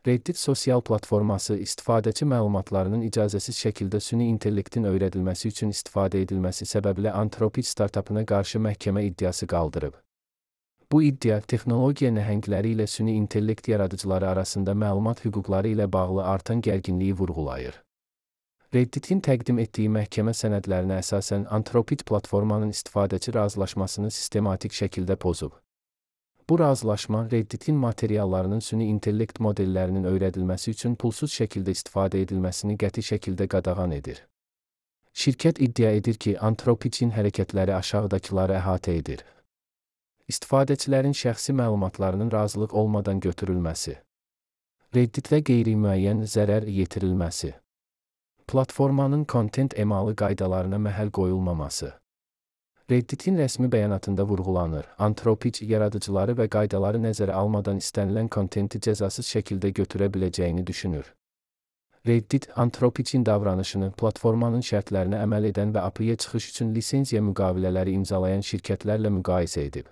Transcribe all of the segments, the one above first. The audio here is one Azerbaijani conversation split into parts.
Reddit sosial platforması istifadəçi məlumatlarının icazəsiz şəkildə süni intellektin öyrədilməsi üçün istifadə edilməsi səbəbilə Anthropic startapına qarşı məhkəmə iddiası qaldırıb. Bu iddia, texnologiya nəhəngləri ilə süni intellekt yaradıcıları arasında məlumat hüquqları ilə bağlı artan gərginliyi vurğulayır. Redditin təqdim etdiyi məhkəmə sənədlərinə əsasən Anthropic platformanın istifadəçi razılaşmasını sistematik şəkildə pozub. Bu razılaşma Redditin materiallarının süni intellekt modellərinin öyrədilməsi üçün pulsuz şəkildə istifadə edilməsini qəti şəkildə qadağan edir. Şirkət iddia edir ki, Anthropic'in hərəkətləri aşağıdakıları əhatə edir. İstifadəçilərin şəxsi məlumatlarının razılıq olmadan götürülməsi. Redditə qeyri-müəyyən zərər yetirilməsi. Platformanın kontent emalı qaydalarına məhəl qoyulmaması. Redditin rəsmi bəyanatında vurğulanır, Anthropic yaradıcıları və qaydaları nəzərə almadan istənilən kontenti cəzasız şəkildə götürə biləcəyini düşünür. Reddit, Anthropic'in davranışını platformanın şərtlərinə əməl edən və API-yə çıxış üçün lisenziya müqavilələri imzalayan şirkətlərlə müqayisə edib.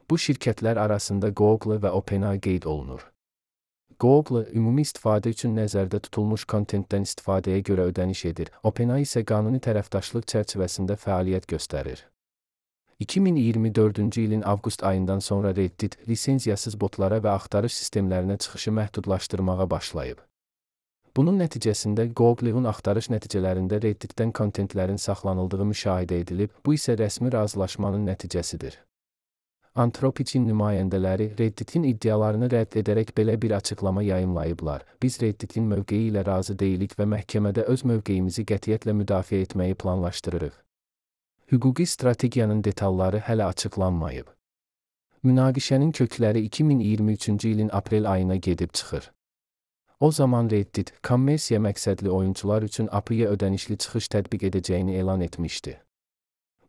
Bu şirkətlər arasında Google və OpenAI qeyd olunur. Google, ümumi istifadə üçün nəzərdə tutulmuş kontentdən istifadəyə görə ödəniş edir, OpenAI isə qanuni tərəfdaşlıq çərçivəsində fəaliyyət göstərir. 2024-cü ilin avqust ayından sonra Reddit, lisenziyasız botlara və axtarış sistemlərinə çıxışı məhdudlaşdırmağa başlayıb. Bunun nəticəsində Google'un axtarış nəticələrində Redditdən kontentlərin saxlanıldığı müşahidə edilib, bu isə rəsmi razılaşmanın nəticəsidir. Anthropic'in nümayəndələri Redditin iddialarını rədd edərək belə bir açıqlama yayımlayıblar. Biz Redditin mövqeyi ilə razı deyilik və məhkəmədə öz mövqeyimizi qətiyyətlə müdafiə etməyi planlaşdırırıq. Hüquqi strategiyanın detalları hələ açıqlanmayıb. Münaqişənin kökləri 2023-cü ilin aprel ayına gedib çıxır. O zaman Reddit, kommersiya məqsədli oyunçular üçün API-yə ödənişli çıxış tətbiq edəcəyini elan etmişdi.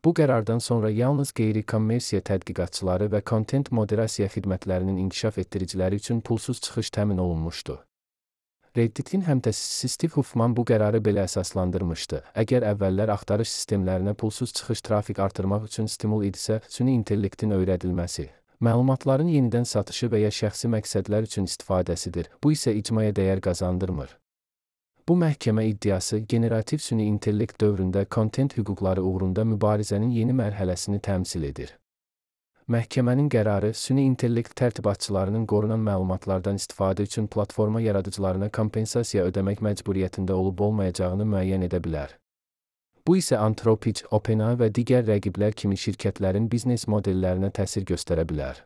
Bu qərardan sonra yalnız qeyri-kommersiya tədqiqatçıları və kontent moderasiya xidmətlərinin inkişaf etdiriciləri üçün pulsuz çıxış təmin olunmuşdu. Redditin həmtəsisi Steve Huffman bu qərarı belə əsaslandırmışdı. Əgər əvvəllər axtarış sistemlərinə pulsuz çıxış trafik artırmaq üçün stimul idisə, süni intellektin öyrədilməsi, məlumatların yenidən satışı və ya şəxsi məqsədlər üçün istifadəsidir. Bu isə icmaya dəyər qazandırmır. Bu məhkəmə iddiası, generativ süni intellekt dövründə kontent hüquqları uğrunda mübarizənin yeni mərhələsini təmsil edir. Məhkəmənin qərarı, süni intellekt tərtibatçılarının qorunan məlumatlardan istifadə üçün platforma yaradıcılarına kompensasiya ödəmək məcburiyyətində olub-olmayacağını müəyyən edə bilər. Bu isə Anthropic, OpenAI və digər rəqiblər kimi şirkətlərin biznes modellərinə təsir göstərə bilər.